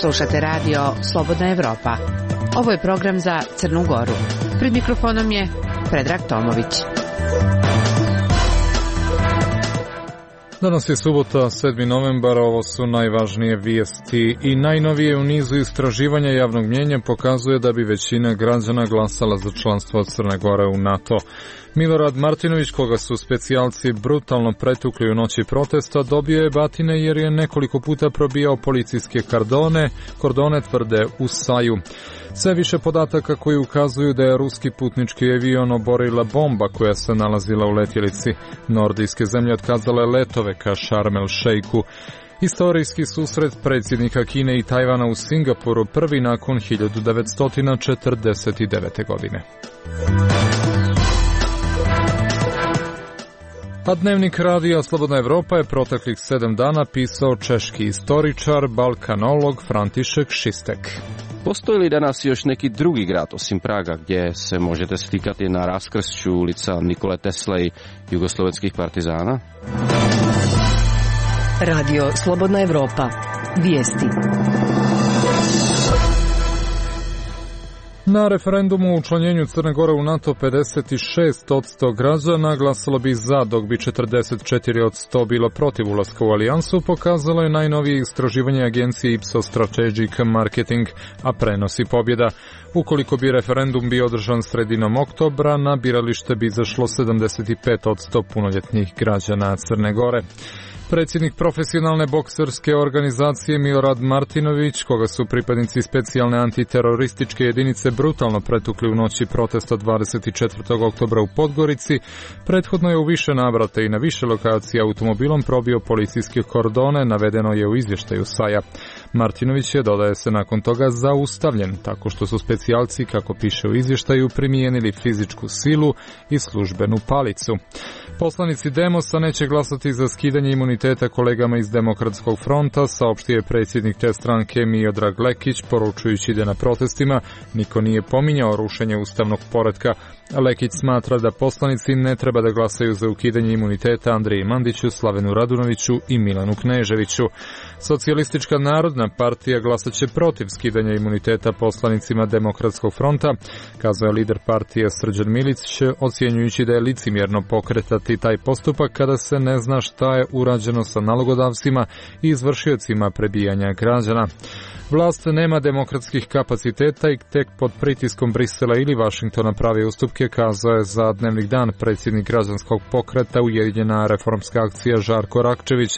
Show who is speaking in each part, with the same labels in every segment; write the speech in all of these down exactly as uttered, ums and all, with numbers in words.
Speaker 1: Slušate radio Slobodna Evropa. Ovo je program za Crnu Goru. Pred mikrofonom je Predrag Tomović.
Speaker 2: Danas je subota, sedmi novembar, ovo su najvažnije vijesti i najnovije u nizu istraživanja javnog mnijenja pokazuje da bi većina građana glasala za članstvo Crne Gore u NATO. Milorad Martinović, koga su specijalci brutalno pretukli u noći protesta, dobio je batine jer je nekoliko puta probijao policijske kordone, kordone tvrde u Saju. Sve više podataka koji ukazuju da je ruski putnički avion oborila bomba koja se nalazila u letjelici. Nordijske zemlje otkazale letove ka Sharm el Sheikhu. Istorijski susret predsjednika Kine i Tajvana u Singapuru prvi nakon hiljadu devetsto četrdeset devete. godine. A dnevnik radija Slobodna Evropa je proteklih sedam dana pisao češki istoričar, balkanolog František Šistek.
Speaker 3: Postoji li danas još neki drugi grad osim Praga gdje se možete slikati na raskršću ulica Nikole Tesle i jugoslovenskih partizana?
Speaker 4: Radio Slobodna Evropa. Vijesti.
Speaker 2: Na referendumu o učlanjenju Crne Gore u NATO pedeset šest posto građana glasalo bi za, dok bi četrdeset četiri posto bilo protiv ulaska u alijansu, pokazalo je najnovije istraživanje agencije Ipsos Strategic Marketing, a prenosi pobjeda. Ukoliko bi referendum bio održan sredinom oktobra, na biralište bi izašlo sedamdeset pet posto punoljetnih građana Crne Gore. Predsjednik profesionalne bokserske organizacije Milorad Martinović, koga su pripadnici specijalne antiterorističke jedinice brutalno pretukli u noći protesta dvadeset četvrtog oktobra u Podgorici, prethodno je u više navrata i na više lokacija automobilom probio policijske kordone, navedeno je u izvještaju Saja. Martinović je, dodaje se, nakon toga zaustavljen, tako što su specijalci, kako piše u izvještaju, primijenili fizičku silu i službenu palicu. Poslanici Demosa neće glasati za skidanje imuniteta kolegama iz Demokratskog fronta, saopštio je predsjednik te stranke Miodrag Lekić, poručujući da na protestima niko nije pominjao rušenje ustavnog poretka. Lekić smatra da poslanici ne treba da glasaju za ukidanje imuniteta Andriji Mandiću, Slavenu Radunoviću i Milanu Kneževiću. Socijalistička narodna partija glasat će protiv skidanja imuniteta poslanicima Demokratskog fronta, kazao je lider partije Srđan Milić, ocjenjujući da je licemjerno pokretati taj postupak kada se ne zna šta je urađeno sa nalogodavcima i izvršiocima prebijanja građana. Vlast nema demokratskih kapaciteta i tek pod pritiskom Brisela ili Vašingtona pravi ustupke, kazao je za Dnevnik dan predsjednik građanskog pokreta Ujedinjena reformska akcija Žarko Rakčević,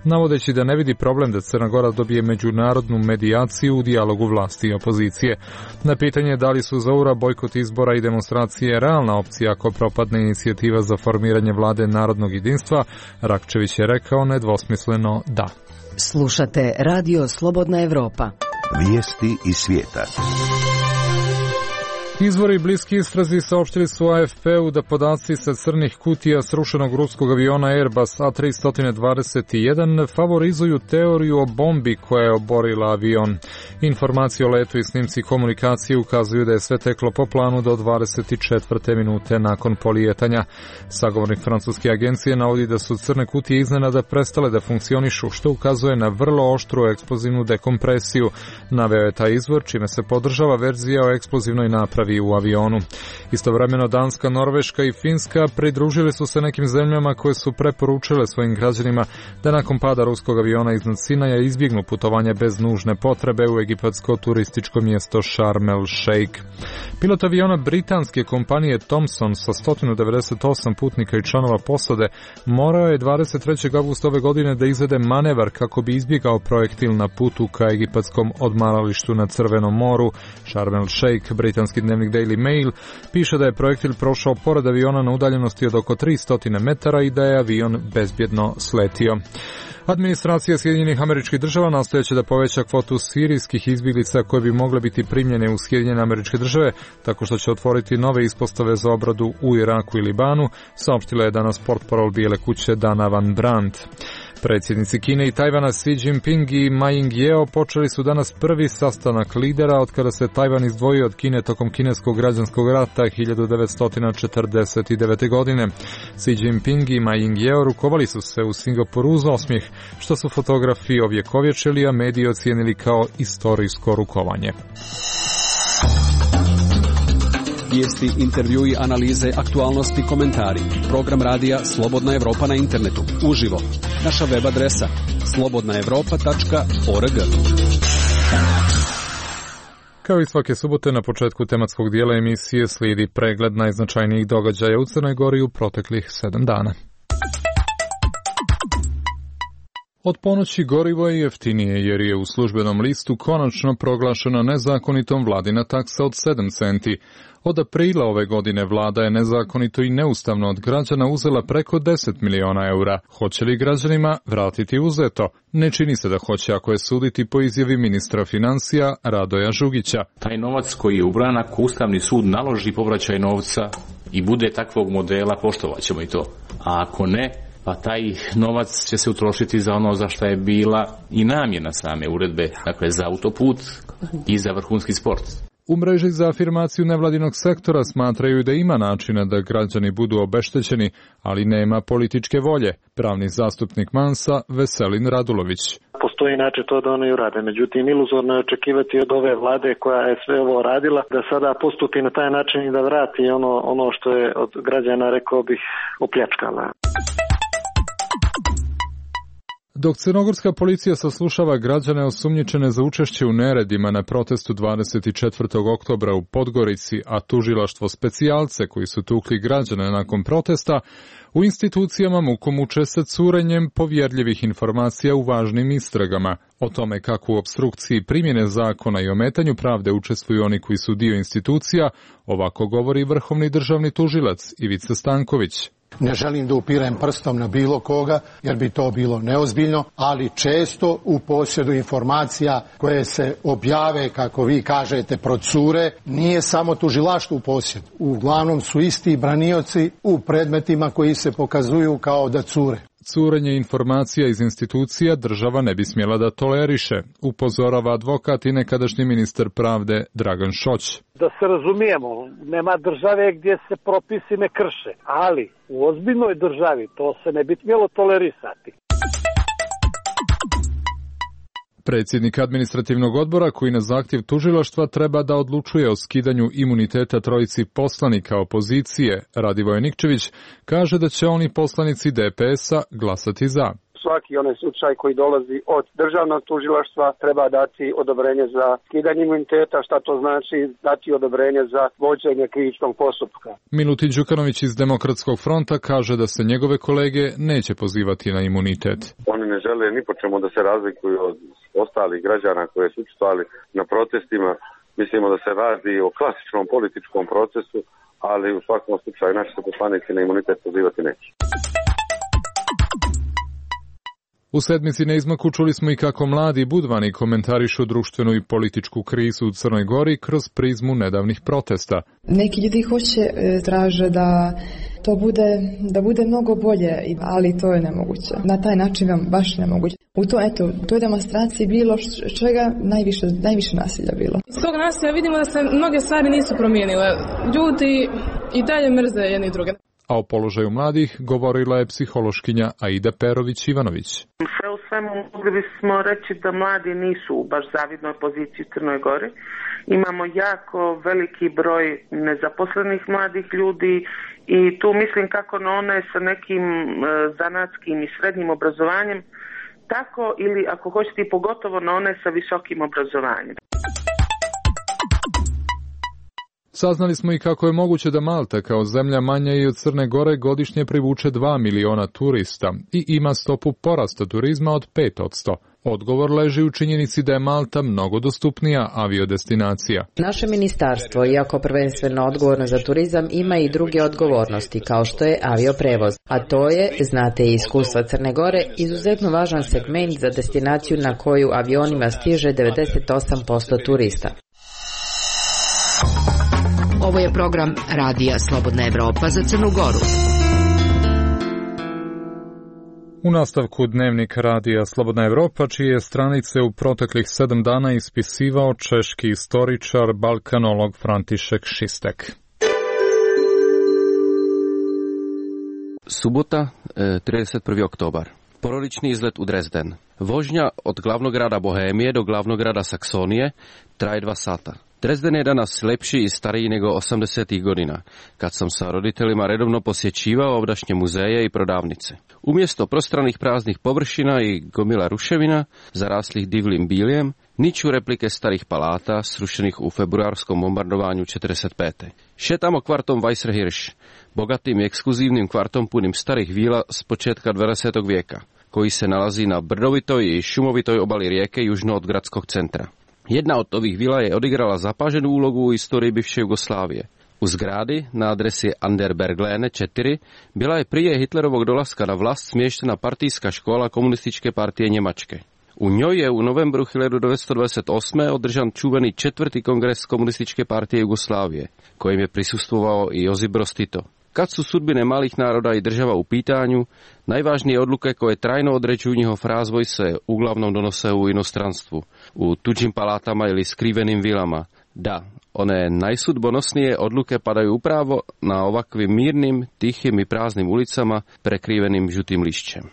Speaker 2: navodeći da ne vidi problem da Crna Gora dobije međunarodnu medijaciju u dijalogu vlasti i opozicije. Na pitanje da li su za ura bojkot izbora i demonstracije realna opcija ako propadne inicijativa za formiranje vlade narodnog jedinstva, Rakčević je rekao nedvosmisleno da.
Speaker 4: Slušate Radio Slobodna Evropa.
Speaker 5: Vijesti iz svijeta.
Speaker 2: Izvori bliski istrazi saopštili su A F P-u da podaci sa crnih kutija srušenog ruskog aviona Airbus A tri dvadeset jedan favorizuju teoriju o bombi koja je oborila avion. Informacije o letu i snimci komunikacije ukazuju da je sve teklo po planu do dvadeset četvrte minute nakon polijetanja. Sagovornik francuske agencije navodi da su crne kutije iznenada prestale da funkcionišu, što ukazuje na vrlo oštru eksplozivnu dekompresiju. Naveo je taj izvor, čime se podržava verzija o eksplozivnoj napravi u avionu. Istovremeno Danska, Norveška i Finska pridružili su se nekim zemljama koje su preporučile svojim građanima da nakon pada ruskog aviona iznad Sinaja izbjegnu putovanje bez nužne potrebe u egipatsko turističko mjesto Sharm el Sheikh. Pilot aviona britanske kompanije Thomson sa sto devedeset osam putnika i članova posade morao je dvadeset trećeg avgusta ove godine da izvede manevar kako bi izbjegao projektil na putu ka egipatskom odmaralištu na Crvenom moru. Sharm el Sheikh, britanski dnevnik Daily Mail, piše da je projektil prošao pored aviona na udaljenosti od oko tristo metara i da je avion bezbjedno sletio. Administracija Sjedinjenih Američkih Država nastojeće da poveća kvotu sirijskih izbjeglica koje bi mogle biti primljene u Sjedinjene Američke Države tako što će otvoriti nove ispostave za obradu u Iraku i Libanu, saopštila je danas portparol Bijele kuće Dana Van Brandt. Predsjednici Kine i Tajvana Xi Jinping i Ma Ying-jeou počeli su danas prvi sastanak lidera od kada se Tajvan izdvojio od Kine tokom kineskog građanskog rata hiljadu devetsto četrdeset devete. godine. Xi Jinping i Ma Ying-jeou rukovali su se u Singapuru uz osmijeh, što su fotografi ovjekovječili, a mediji ocijenili kao istorijsko rukovanje.
Speaker 6: Vijesti, intervjui, analize, aktualnosti, komentari. Program radija Slobodna Evropa na internetu. Uživo. Naša web adresa slobodna evropa tačka org.
Speaker 2: Kao i svake subote na početku tematskog dijela emisije slijedi pregled najznačajnijih događaja u Crnoj Gori u proteklih sedam dana. Od ponoći gorivo je jeftinije jer je u službenom listu konačno proglašena nezakonitom vladina taksa od sedam centi. Od aprila ove godine vlada je nezakonito i neustavno od građana uzela preko deset miliona eura. Hoće li građanima vratiti uzeto? Ne čini se da hoće, ako je suditi po izjavi ministra financija Radoja Žugića.
Speaker 7: Taj novac koji je ubran, ako Ustavni sud naloži povraćaj novca i bude takvog modela, poštovat ćemo i to. A ako ne, pa taj novac će se utrošiti za ono za što je bila i namjena same uredbe, dakle za autoput i za vrhunski sport.
Speaker 2: U mreži za afirmaciju nevladinog sektora smatraju da ima načina da građani budu obeštećeni, ali nema političke volje. Pravni zastupnik Mansa Veselin Radulović.
Speaker 8: Postoji način to da oni urade, međutim iluzorno je očekivati od ove vlade koja je sve ovo radila da sada postupi na taj način i da vrati ono, ono što je od građana, rekao bih, opljačkala.
Speaker 2: Dok crnogorska policija saslušava građane osumnjičene za učešće u neredima na protestu dvadeset četvrtog oktobra u Podgorici, a tužilaštvo specijalce koji su tukli građane nakon protesta, u institucijama muku muče sa curenjem povjerljivih informacija u važnim istragama. O tome kako u opstrukciji primjene zakona i ometanju pravde učestvuju oni koji su dio institucija, ovako govori vrhovni državni tužilac Ivica Stanković.
Speaker 9: Ne želim da upirem prstom na bilo koga, jer bi to bilo neozbiljno, ali često u posjedu informacija koje se objave, kako vi kažete, procure, nije samo tužilaštvo u posjedu. Uglavnom su isti branioci u predmetima koji se pokazuju kao da cure.
Speaker 2: Curenje informacija iz institucija država ne bi smjela da toleriše, upozorava advokat i nekadašnji ministar pravde Dragan Šoć.
Speaker 10: Da se razumijemo, nema države gdje se propisi ne krše, ali u ozbiljnoj državi to se ne bi smjelo tolerisati.
Speaker 2: Predsjednik administrativnog odbora, koji na zahtjev tužilaštva treba da odlučuje o skidanju imuniteta trojici poslanika opozicije, Radivoje Nikčević, kaže da će oni poslanici D P S-a glasati za.
Speaker 11: Svaki onaj slučaj koji dolazi od državnog tužilaštva treba dati odobrenje za skidanje imuniteta, šta to znači dati odobrenje za vođenje krivičnog postupka.
Speaker 2: Milutin Đukanović iz Demokratskog fronta kaže da se njegove kolege neće pozivati na imunitet.
Speaker 12: Oni ne žele ni po čemu da se razlikuju od ostalih građana koje su učestvovali na protestima. Mislimo da se radi o klasičnom političkom procesu, ali u svakom slučaju naši se poslanici na imunitet pozivati neće.
Speaker 2: U sedmici na izmaku čuli smo i kako mladi budvani komentarišu društvenu i političku krizu u Crnoj Gori kroz prizmu nedavnih protesta.
Speaker 13: Neki ljudi hoće, traže da to bude, da bude mnogo bolje, ali to je nemoguće. Na taj način vam baš nemoguće. U to, eto, u toj demonstraciji bilo čega najviše, najviše nasilja bilo.
Speaker 14: Iz tog nasilja vidimo da se mnoge stvari nisu promijenile. Ljudi i dalje mrze jedni druge.
Speaker 2: A o položaju mladih govorila je psihološkinja Aida Perović-Ivanović.
Speaker 15: Sve u svemu mogli bismo reći da mladi nisu u baš zavidnoj poziciji u Crnoj Gori. Imamo jako veliki broj nezaposlenih mladih ljudi i tu mislim kako na one sa nekim zanatskim i srednjim obrazovanjem, tako ili ako hoćete i pogotovo na one sa visokim obrazovanjem.
Speaker 2: Saznali smo i kako je moguće da Malta kao zemlja manja i od Crne Gore godišnje privuče dva miliona turista i ima stopu porasta turizma od pet posto. Odgovor leži u činjenici da je Malta mnogo dostupnija aviodestinacija.
Speaker 16: Naše ministarstvo, iako prvenstveno odgovorno za turizam, ima i druge odgovornosti, kao što je avioprevoz. A to je, znate i iskustva Crne Gore, izuzetno važan segment za destinaciju na koju avionima stiže devedeset osam posto turista.
Speaker 1: Ovo je program Radija Slobodna Evropa za Crnu Goru.
Speaker 2: U nastavku dnevnik radija Slobodna Evropa, čije stranice u proteklih sedam dana ispisivao češki istoričar, balkanolog František Šistek.
Speaker 3: Subota, trideset prvi oktobar. Porodični izlet u Dresden. Vožnja od glavnog grada Bohemije do glavnog grada Saksonije traje dva sata. Dresden je danas lepší i stariji nego osamdesetih godina, kad sam sa roditeljima redovno posjećivao ovdašnje muzeje i prodavnice. Umjesto prostranih praznih površina i gomila ruševina, zaraslih divljim biljem, niču replike starih palata, srušenih u februarskom bombardovanju četrdeset pete Šetamo kvartom Weißerhirsch, bogatim i ekskluzivnim kvartom punim starih vila s početka dvadesetog vijeka, koji se nalazi na brdovitoj i šumovitoj obali rijeke južno od gradskog centra. Jedna od ovih vila je odigrala zapaženu úlogu u istoriji bivše Jugoslávie. U zgradi na adresi Anderberglene četiri bila je prije Hitlerovog dolaska na vlast smještena partijska škola komunističke partije Njemačke. U njoj je u novembru hiljadu devetsto dvadeset osme održan čuveni četvrti kongres komunističke partije Jugoslávie, kojem je prisustvovao i Josip Broz Tito. Kad su sudbine malih naroda i država u pitanju, najvažnije odluke koje trajno određuju njihov razvoj se uglavnom donose u inostranstvu, u tuđim palatama ili skrivenim vilama. Da, one najsudbonosnije odluke padaju upravo na ovakvim mirnim, tihim i praznim ulicama prekrivenim žutim lišćem.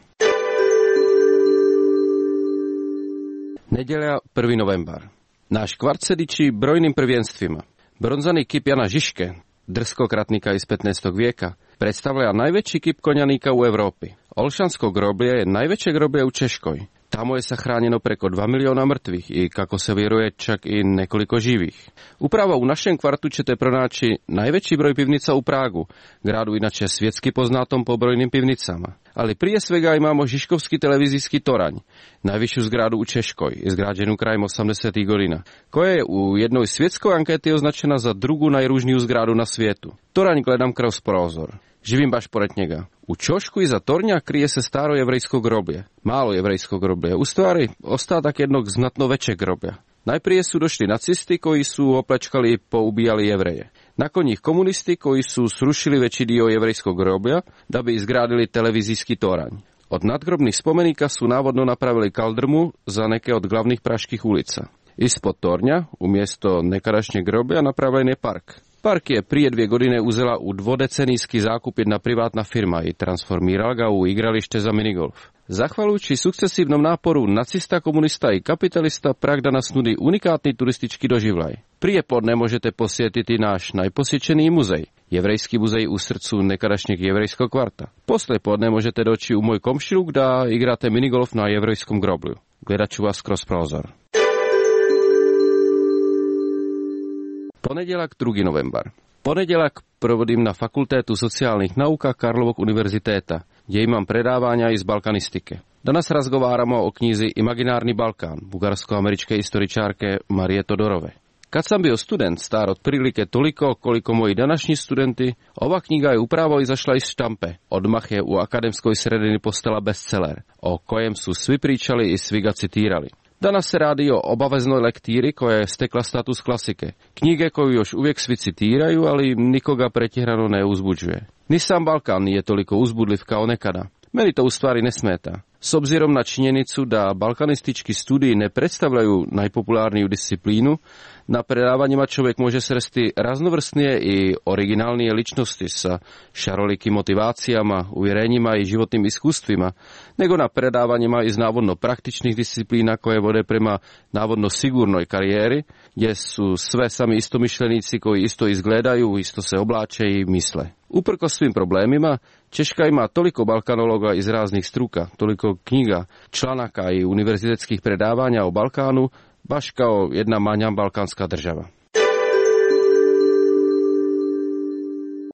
Speaker 3: Nedjelja, prvi novembar. Naš kvart se diči brojnim prvenstvima. Bronzani kip Jana Žižke, drskog ratnika iz petnaestog vijeka, predstavlja najveći kip konjanika u Europi. Olšansko groblje je najveće groblje u Češkoj. Tamo je sahranjeno preko dva miliona mrtvih i, kako se vjeruje, čak i nekoliko živih. Upravo u našem kvartu ćete pronaći najveći broj pivnica u Pragu, gradu inače svjetski poznatom po brojnim pivnicama. Ali prije svega imamo Žižkovski televizijski toranj, najvišu zgradu u Češkoj, izgrađenu krajem osamdesetih godina, koja je u jednoj svjetskoj anketi označena za drugu najružniju zgradu na svijetu. Toranj gledam kroz prozor. Živim baš pored njega. U ćošku iza tornja krije se staro jevrejsko groblje, malo jevrejsko groblje, u stvari ostatak jednog znatno većeg groblja. Najprije su došli nacisti koji su opljačkali i poubijali Jevreje. Nakon njih komunisti koji su srušili veći dio jevrejskog groblja da bi izgradili televizijski toranj. Od nadgrobnih spomenika su navodno napravili kaldrmu za neke od glavnih praških ulica. Ispod tornja, umjesto nekadašnjeg groblja, napravljen je park. Park je prije dvije godine uzela u dvodecenijski zakup jedna privatna firma i transformirala ga u igralište za minigolf. Zahvaljujući sukcesivnom naporu nacista, komunista i kapitalista, Prag danas nudi unikatni turistički doživljaj. Prije podne možete posjetiti naš najposjećeniji muzej, Jevrejski muzej u srcu nekadašnjeg jevrejskog kvarta. Poslije podne možete doći u moj komšiluk da igrate minigolf na jevrejskom groblju. Gledat ću vas kroz prozor. Ponedjeljak, drugi novembar. Ponedjeljak provodim na Fakultetu socijalnih nauka Karlovog univerziteta, gdje imam predavanja iz balkanistike. Danas razgovaramo o knjizi Imaginarni Balkan, bugarsko-američke istoričarke Marije Todorove. Kad sam bio student, star otprilike toliko koliko moji današnji studenti, ova knjiga je upravo izašla iz štampe. Odmah je u akademskoj sredini postala bestseller, o kojem su svi pričali i svi ga citirali. Danas se radi o obaveznoj lektiri koja je stekla status klasike. Knjige koju još uvijek svi citiraju, ali nikoga pretjerano ne uzbuđuje. Ni sam Balkan nije toliko uzbudljiv kao nekada. Meni to u stvari ne smeta. S obzirom na činjenicu da balkanistički studiji ne predstavljaju najpopularniju disciplinu, na predavanjima čovjek može sresti raznovrsnije i originalnije ličnosti sa šarolikim motivacijama, uvjerenjima i životnim iskustvima, nego na predavanjima iz navodno praktičnih disciplina koje vode prema navodno sigurnoj karijeri, gdje su sve sami istomišljenici koji isto izgledaju, isto se oblače i misle. Uprkos svim problemima, Češka ima toliko balkanologa iz raznih struka, toliko knjiga, članaka i univerzitetskih predavanja o Balkanu, baš kao jedna manja balkanska država.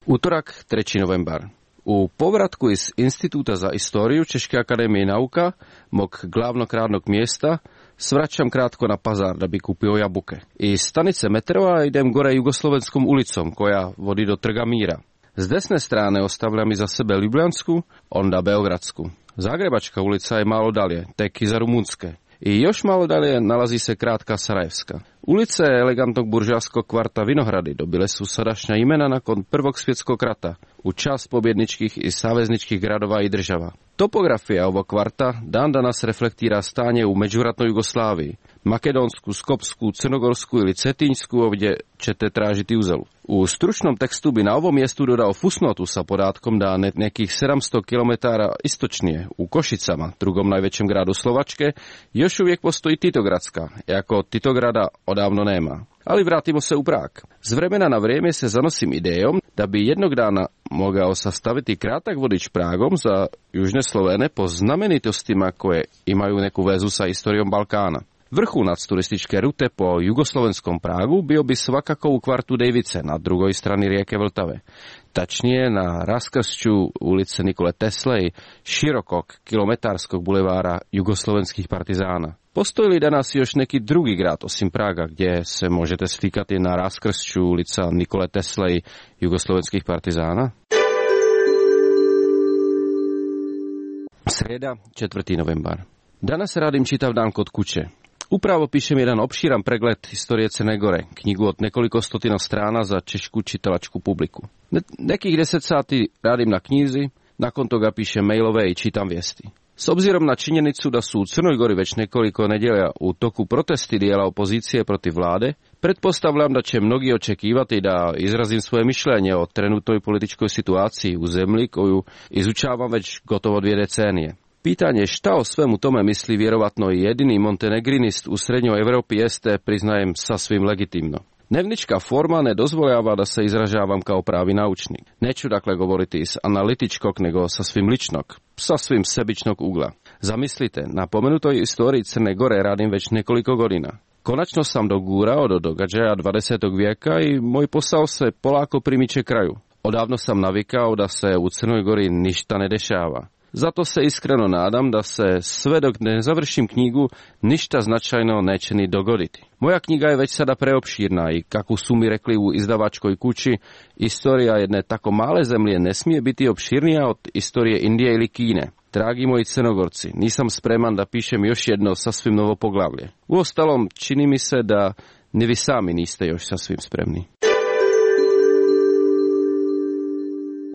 Speaker 3: Utorak, treći novembar. U povratku iz Instituta za istoriju Češke akademije nauka, mog glavnog radnog mjesta, svraćam kratko na pazar da bi kupio jabuke. Iz stanice metrova idem gore Jugoslovenskom ulicom koja vodi do Trga Mira. S desne strane ostavljam iza sebe Ljubljansku, onda Beogradsku. Zagrebačka ulica je malo dalje, tek iza Rumunjske. I još malo dalje nalazi se kratka Sarajevska. Ulice elegantnog buržovskog kvarta Vinohrady dobile su sadašnja imena nakon Prvog svjetskog rata, u čast pobjedničkih i savezničkih gradova i država. Topografija ovog kvarta dan danas reflektira stanje u međuvratnoj Jugoslaviji. Makedonsku, Skopsku, Crnogorsku ili Cetinjsku ovdje ćete tražiti uzelu. U stručnom tekstu bi na ovom mjestu dodao fusnotu sa podatkom da nekih sedamsto kilometara istočnije u Košicama, drugom najvećem gradu Slovačke, još uvijek postoji Titogradska, iako Titograda odavno nema. Ali vratimo se u Prag. S vremena na vrijeme se zanosim idejom da bi jednog dana mogao sastaviti kratak vodič Pragom za južne Slovene po znamenitostima koje imaju neku vezu sa historijom Balkana. Vrhunac turističke rute po jugoslovenskom Pragu bio bi svakako u kvartu Dejvice na drugoj strani rijeke Vltave. Tačnije na raskršću ulice Nikole Tesle i širokog kilometarskog bulevara jugoslovenskih partizana. Postoji li danas još neki drugi grad osim Praga gdje se možete slikati na raskršću ulica Nikole Tesle i jugoslovenskih partizana? Srijeda, četvrti novembar. Danas radim čitav dan kod kuće. Upravo pišem jedan opširan pregled historije Crne Gore, knjigu od nekoliko stotina strana za češku čitalačku publiku. Ne, nekih deset sati radim na knjizi, nakon toga pišem mailove i čitam vijesti. S obzirom na činjenicu da su u Crnoj Gori već nekoliko nedjelja u toku protesti dijela opozicije protiv vlade, pretpostavljam da će mnogi očekivati da izrazim svoje mišljenje o trenutnoj političkoj situaciji u zemlji koju izučavam već gotovo dvije decenije. Pitanje šta o svemu tome misli vjerovatno i jedini montenegrinist u srednjoj Europi jeste, priznajem, sasvim legitimno. Dnevnička forma ne dozvoljava da se izražavam kao pravi naučnik. Neću dakle govoriti iz analitičkog, nego sasvim ličnog, sasvim sebičnog ugla. Zamislite, na pomenutoj istoriji Crne Gore radim već nekoliko godina. Konačno sam dogurao do događaja dvadesetog vijeka i moj posao se polako primiče kraju. Odavno sam navikao da se u Crnoj Gori ništa ne dešava. Zato se iskreno nadam da se sve dok ne završim knjigu ništa značajno neće ni dogoditi. Moja knjiga je već sada preopširna i kako su mi rekli u izdavačkoj kući, istorija jedne tako male zemlje ne smije biti opširnija od istorije Indije ili Kine. Dragi moji Crnogorci, nisam spreman da pišem još jedno sasvim novo poglavlje. Uostalom, čini mi se da ni vi sami niste još sasvim spremni.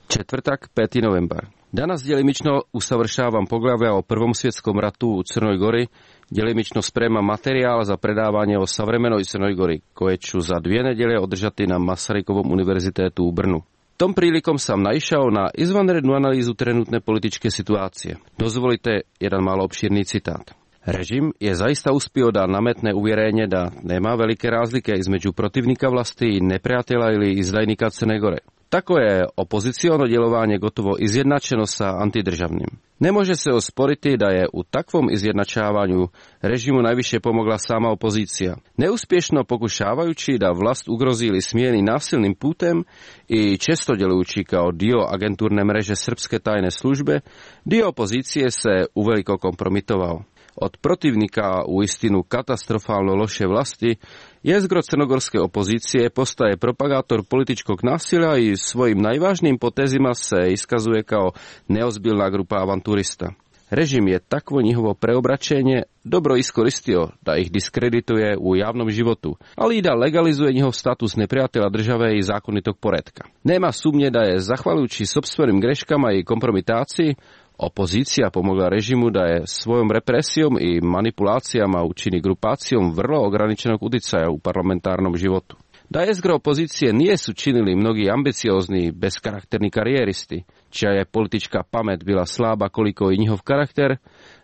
Speaker 3: Četvrtak, peti novembar. Danas djelimično usavršavam poglavlja o Prvom svjetskom ratu u Crnoj Gori, djelimično spremam materijal za predavanje o savremenoj Crnoj Gori, koje ću za dvije nedjelje održati na Masarykovom univerzitetu u Brnu. Tom prilikom sam naišao na izvanrednu analizu trenutne političke situacije. Dozvolite jedan malo opširni citat. Režim je zaista uspio da nametne uvjerenje da nema velike razlike između protivnika vlasti i neprijatelja ili izdajnika Crne Gore. Tako je opoziciono djelovanje gotovo izjednačeno sa antidržavnim. Ne može se osporiti da je u takvom izjednačavanju režimu najviše pomogla sama opozicija. Neuspješno pokušavajući da vlast ugrozi ili smijeni nasilnim putem i često djelujući kao dio agenturne mreže srpske tajne službe, dio opozicije se uveliko kompromitovao. Od protivnika u istinu katastrofalno loše vlasti, jezgro crnogorske opozicije postaje propagator političkog nasilja i svojim najvažnijim potezima se iskazuje kao neozbiljna grupa avanturista. Režim je takvo njihovo preobraćenje dobro iskoristio da ih diskredituje u javnom životu, ali i da legalizuje njihov status neprijatelja države i zakonitog poretka. Nema sumnje da je, zahvaljujući sopstvenim greškama i kompromitaciji, opozicija pomogla režimu da je svojom represijom i manipulacijama učini grupacijom vrlo ograničenog utjecaja u parlamentarnom životu. Da jezgro opozicije nije su činili mnogi ambiciozni, beskarakterni karijeristi, čija je politička pamet bila slaba koliko i njihov karakter,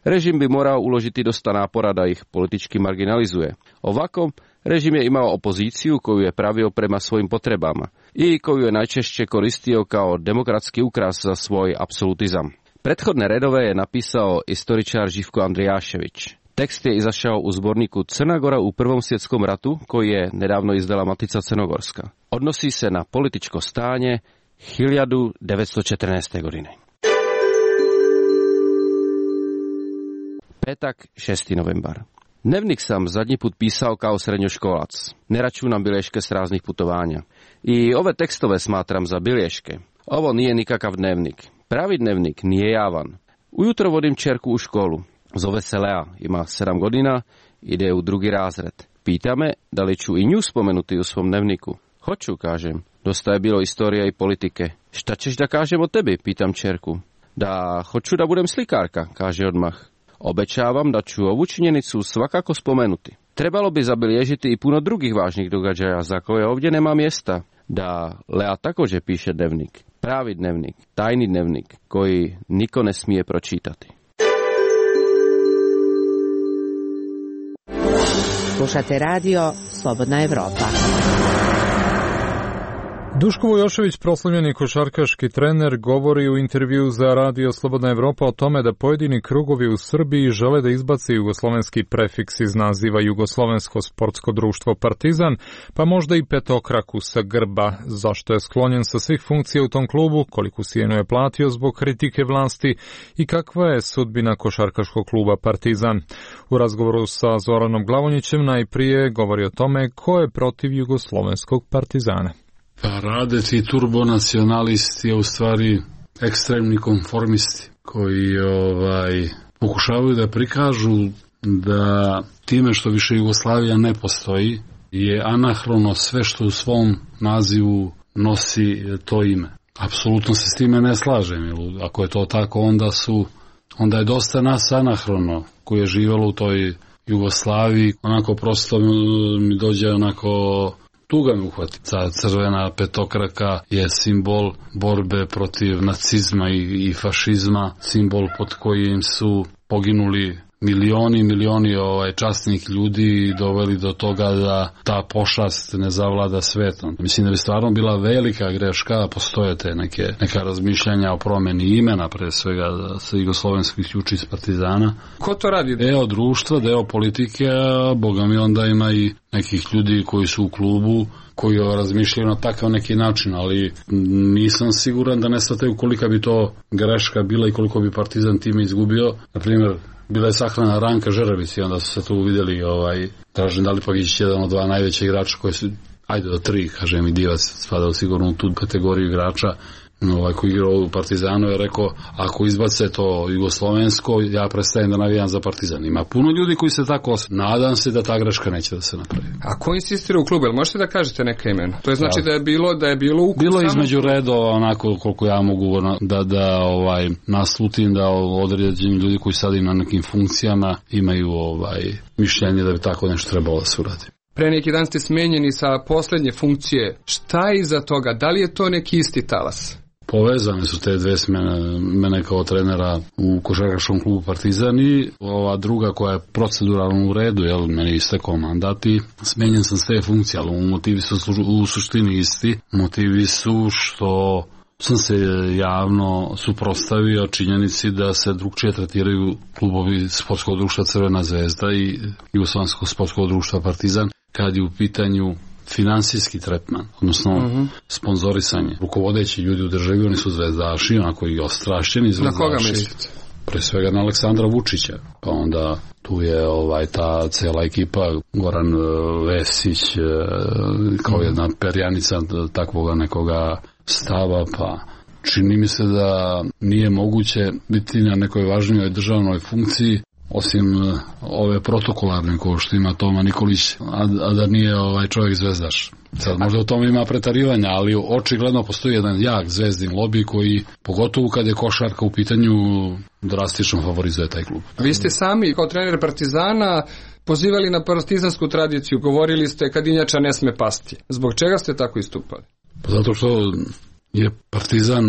Speaker 3: režim bi morao uložiti dosta napora da ih politički marginalizuje. Ovako, režim je imao opoziciju koju je pravio prema svojim potrebama i koju je najčešće koristio kao demokratski ukras za svoj apsolutizam. Prethodne redove je napisao istoričar Živko Andrijašević. Tekst je izašao u zborniku Crna Gora u Prvom svjetskom ratu, koji je nedavno izdala Matica Crnogorska. Odnosi se na političko stanje hiljadu devetsto četrnaeste. godine. Petak, šesti novembar. Dnevnik sam zadnji put pisao kao srednjoškolac. Ne računam bilješke s raznih putovanja. I ove tekstove smatram za bilješke. Ovo nije nikakav dnevnik. Pravi dnevnik nije javan. Ujutro vodim ćerku u školu. Zove se Lea, ima sedam godina, ide u drugi razred. Pita me da li ću i nju spomenuti u svom dnevniku. Hoću, kažem. Dosta je bilo istorija i politike. Šta ćeš da kažem o tebi, pitam ćerku. Da hoću da budem slikarka, kaže odmah. Obećavam da ću ovu činjenicu svakako spomenuti. Trebalo bi zabilježiti i puno drugih važnih događaja za koje ovdje nema mjesta. Da Lea također piše dnevnik. Pravi dnevnik, tajni dnevnik, koji niko ne smije pročitati.
Speaker 1: Slušate radio Slobodna Evropa.
Speaker 2: Duško Vujošević, proslavljeni košarkaški trener, govori u intervju za radio Slobodna Evropa o tome da pojedini krugovi u Srbiji žele da izbace jugoslovenski prefiks iz naziva Jugoslovensko sportsko društvo Partizan, pa možda i petokraku sa grba. Zašto je sklonjen sa svih funkcija u tom klubu, koliku sjenu je platio zbog kritike vlasti i kakva je sudbina košarkaškog kluba Partizan. U razgovoru sa Zoranom Glavonjićem najprije govori o tome ko je protiv jugoslovenskog Partizana.
Speaker 17: Pa Radec i turbonacionalisti je u stvari ekstremni konformisti koji ovaj, pokušavaju da prikažu da time što više Jugoslavija ne postoji je anahrono sve što u svom nazivu nosi to ime. Apsolutno se s time ne slažem, jer ako je to tako onda su onda je dosta nas anahrono koji je živjelo u toj Jugoslaviji, onako prosto mi dođe onako tuga me uhvati. Ta crvena petokraka je simbol borbe protiv nacizma i, i fašizma, simbol pod kojim su poginuli milioni i milioni ovaj, časnih ljudi i doveli do toga da ta pošast ne zavlada svetom. Mislim da bi stvarno bila velika greška, postoje te neke, neka razmišljanja o promjeni imena, pre svega sa jugoslovenskih juči iz Partizana.
Speaker 18: Ko to radi?
Speaker 17: Deo društva, deo politike, a boga mi onda ima i nekih ljudi koji su u klubu, koji razmišljaju na takav neki način, ali nisam siguran da ne shvataju kolika bi to greška bila i koliko bi Partizan time izgubio. Na primjer, bila je sahrana Ranka Žeravić i onda su se tu vidjeli ovaj, Dražen Dalipagić, jedan od dva najveća igrača koji su, ajde do tri, kažem i Divac, spadao sigurno u tu kategoriju igrača, ovaj, koji igrao u Partizanu je rekao, ako izbace to jugoslovensko, ja prestajem da navijam za Partizan. Ima puno ljudi koji se tako osjećaju. Nadam se da ta greška neće da se napravi.
Speaker 18: A ko insistira u klubu? Možete da kažete neka imena? To je znači ja. da je bilo da je bilo u
Speaker 17: Bilo između redova, onako koliko ja mogu da, da ovaj, naslutim da određeni ljudi koji sad im na nekim funkcijama imaju ovaj, mišljenje da bi tako nešto trebalo da se uradi.
Speaker 18: Pre neki dan ste smenjeni sa posljednje funkcije. Šta je iza toga? Da li je to neki isti talas?
Speaker 17: Povezane su te dve smene, mene kao trenera u košarkaškom klubu Partizan i ova druga koja je proceduralno u redu, jel, meni je istekao mandat i smenjen sam s te funkcije, ali motivi su u suštini isti. Motivi su što sam se javno suprotstavio činjenici da se drugčije tretiraju klubovi sportskog društva Crvena zvezda i Jugoslovenskog sportskog društva Partizan kad je u pitanju finansijski tretman, odnosno uh-huh. sponzorisanje. Rukovodeći ljudi u državi, oni su zvezdaši, onako i ostrašćeni zvezdaši.
Speaker 18: Na koga mislite?
Speaker 17: Pre svega na Aleksandra Vučića. Pa onda tu je ovaj ta cela ekipa, Goran Vesić, kao jedna perjanica takvoga nekoga stava, pa čini mi se da nije moguće biti na nekoj važnijoj državnoj funkciji osim ove protokolarne ko što ima Toma Nikolić, a, a da nije ovaj čovjek zvezdaš. Sad možda u tome ima pretarivanja, ali očigledno postoji jedan jak zvezdin lobby koji, pogotovo kad je košarka u pitanju, drastično favorizuje taj klub.
Speaker 18: Vi ste sami kao trener Partizana pozivali na partizansku tradiciju, govorili ste kadinjača ne sme pasti. Zbog čega ste tako istupali?
Speaker 17: Pa zato što je Partizan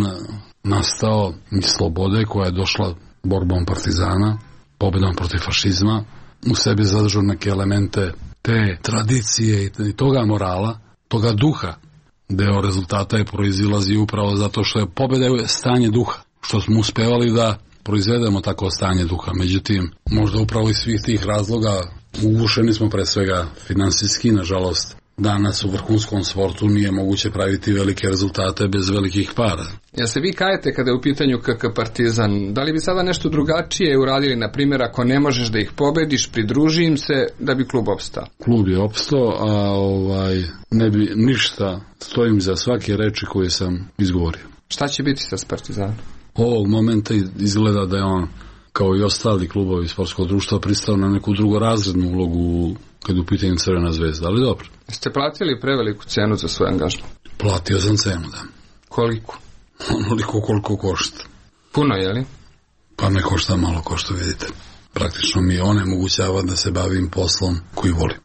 Speaker 17: nastao iz slobode koja je došla borbom Partizana, pobjedom protiv fašizma, u sebi zadržao neke elemente te tradicije i toga morala, toga duha. Deo rezultata je proizilazi upravo zato što je pobjeda je stanje duha, što smo uspevali da proizvedemo tako stanje duha. Međutim, možda upravo iz svih tih razloga ugušeni smo pre svega finansijski, nažalost. Danas u vrhunskom sportu nije moguće praviti velike rezultate bez velikih para.
Speaker 18: Ja se vi kajete kada je u pitanju K K Partizan, da li bi sada nešto drugačije uradili, na primjer ako ne možeš da ih pobediš, pridruži im se da bi klub opstao?
Speaker 17: Klub je opstao, a ovaj, ne bi ništa, stojim za svake reči koje sam izgovorio.
Speaker 18: Šta će biti sa Partizanom?
Speaker 17: Ovog momenta izgleda da je on, kao i ostali klubovi sportskog društva, pristao na neku drugorazrednu ulogu kad je u pitanju Crvena zvezda, ali dobro.
Speaker 18: Ste platili preveliku cenu za svoj angažman?
Speaker 17: Platio sam cenu, da.
Speaker 18: Koliko?
Speaker 17: Onoliko koliko košta.
Speaker 18: Puno, je li?
Speaker 17: Pa me košta malo, ko što vidite. Praktično mi onemogućava da se bavim poslom koji volim.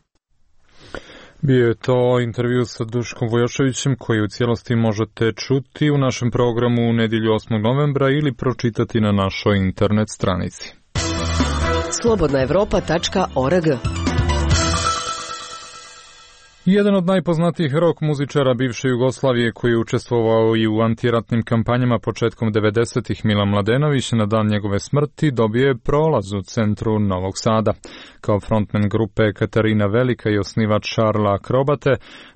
Speaker 2: Bio je to intervju sa Duškom Vojoševićem koji u cijelosti možete čuti u našem programu u nedjelju osmog novembra ili pročitati na našoj internet stranici.
Speaker 4: slobodna evropa tačka org.
Speaker 2: Jedan od najpoznatijih rock muzičara bivše Jugoslavije koji je učestvovao i u antiratnim kampanjama početkom devedesetih, Milan Mladenović, na dan njegove smrti dobio je prolaz u centru Novog Sada. Kao frontman grupe Katarina Velika i osnivač Šarla Akrobate,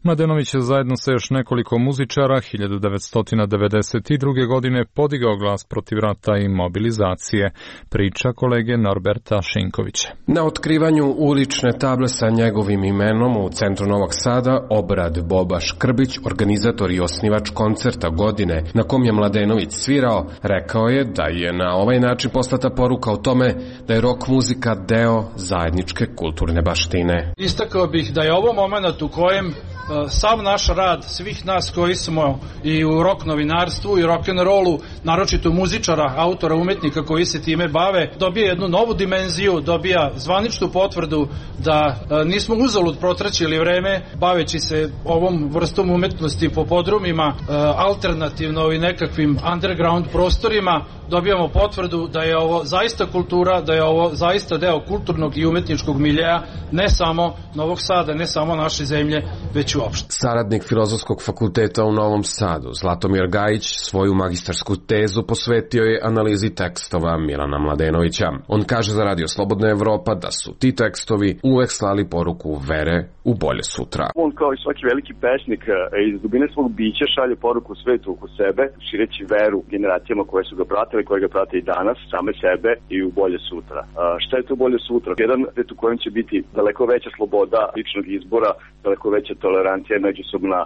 Speaker 2: Mladenović je zajedno sa još nekoliko muzičara hiljadu devetsto devedeset druge. godine podigao glas protiv rata i mobilizacije. Priča kolege Norberta Šinkovića.
Speaker 19: Na otkrivanju ulične table sa njegovim imenom u centru Novog Sada obrad Boba Škrbić, organizator i osnivač koncerta godine na kom je Mladenović svirao, rekao je da je na ovaj način poslata poruka o tome da je rock muzika deo zajedničke kulturne baštine.
Speaker 20: Istakao bih da je ovo moment u kojem sav naš rad, svih nas koji smo i u rock novinarstvu i rock'n'rollu, naročito muzičara, autora, umetnika koji se time bave, dobija jednu novu dimenziju, dobija zvaničnu potvrdu da nismo uzalud protraćili vreme baveći se ovom vrstom umetnosti po podrumima, alternativno i nekakvim underground prostorima. Dobijamo potvrdu da je ovo zaista kultura, da je ovo zaista deo kulturnog i umetničkog miljeja, ne samo Novog Sada, ne samo naše zemlje, već uopšte.
Speaker 19: Saradnik Filozofskog fakulteta u Novom Sadu, Zlatomir Gajić, svoju magistarsku tezu posvetio je analizi tekstova Milana Mladenovića. On kaže za Radio Slobodna Evropa da su ti tekstovi uvek slali poruku vere u bolje sutra.
Speaker 21: On kao i svaki veliki pesnik iz dubine svog bića šalje poruku svetu oko sebe, šireći veru generacijama koje su ga pratile, koje ga prate i danas, same sebe i u bolje sutra. A, šta je to bolje sutra? Jedan svet u kojem će biti daleko veća sloboda ličnog izbora, daleko veća tolerancija i međusobna,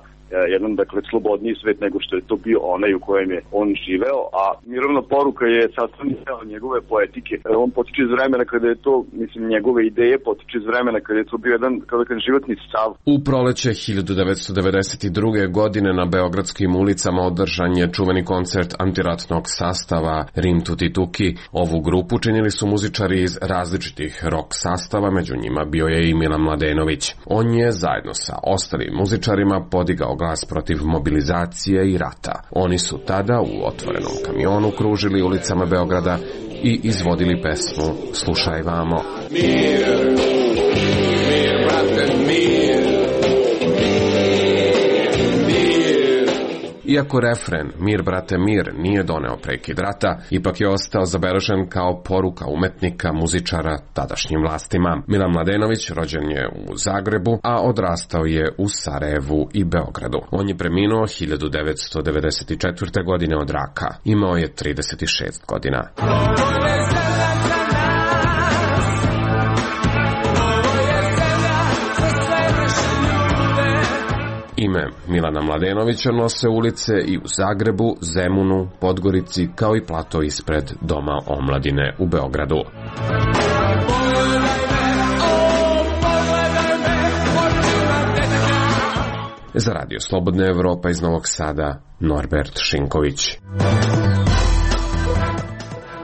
Speaker 21: jedan, dakle, slobodniji svet nego što je to bio onaj u kojem je on živeo, a mirovna poruka je sastavni deo njegove poetike. On potiče iz vremena kada je to, mislim, njegove ideje potiče iz vremena kada je to bio jedan, kao da kažem, životni stav.
Speaker 19: U proleće hiljadu devetsto devedeset druge. godine na beogradskim ulicama održan je čuveni koncert antiratnog sastava Rim Tuti Tuki. Ovu grupu činili su muzičari iz različitih rock sastava, među njima bio je i Milan Mladenović. On je zajedno sa ostalim muzičarima podigao glas protiv mobilizacije i rata. Oni su tada u otvorenom kamionu kružili ulicama Beograda i izvodili pesmu Slušaj vamo. Mir, mir, brate, mir. Iako refren Mir, brate, mir nije doneo prekid rata, ipak je ostao zabeležen kao poruka umetnika, muzičara tadašnjim vlastima. Milan Mladenović rođen je u Zagrebu, a odrastao je u Sarajevu i Beogradu. On je preminuo hiljadu devetsto devedeset četvrte. godine od raka. Imao je trideset šest godina. Ime Milana Mladenovića nose ulice i u Zagrebu, Zemunu, Podgorici, kao i plato ispred Doma omladine u Beogradu. Za Radio Slobodna Evropa iz Novog Sada, Norbert Šinković.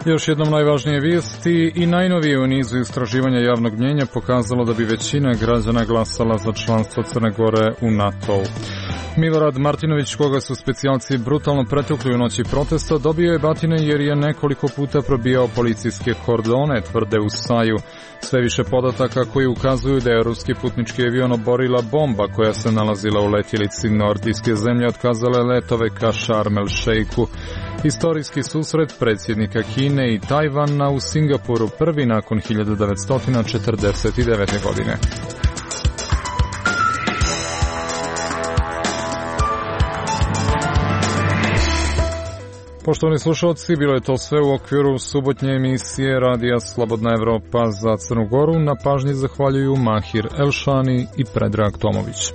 Speaker 2: Još jednom najvažnije vijesti i najnovije u nizu istraživanja javnog mnjenja pokazalo da bi većina građana glasala za članstvo Crne Gore u NATO-u. Milorad Martinović, koga su specijalci brutalno pretukli u noći protesta, dobio je batine jer je nekoliko puta probijao policijske kordone, tvrde u Saju. Sve više podataka koji ukazuju da je ruski putnički avion oborila bomba koja se nalazila u letjelici nordijske zemlje otkazale letove ka Šarm el Šejku. Istorijski susret predsjednika Kine i Tajvana u Singapuru prvi nakon hiljadu devetsto četrdeset devete. godine. Poštovani slušalci, bilo je to sve u okviru subotnje emisije Radija Slobodna Evropa za Crnu Goru. Na pažnji zahvaljuju Mahir Elšani i Predrag Tomović.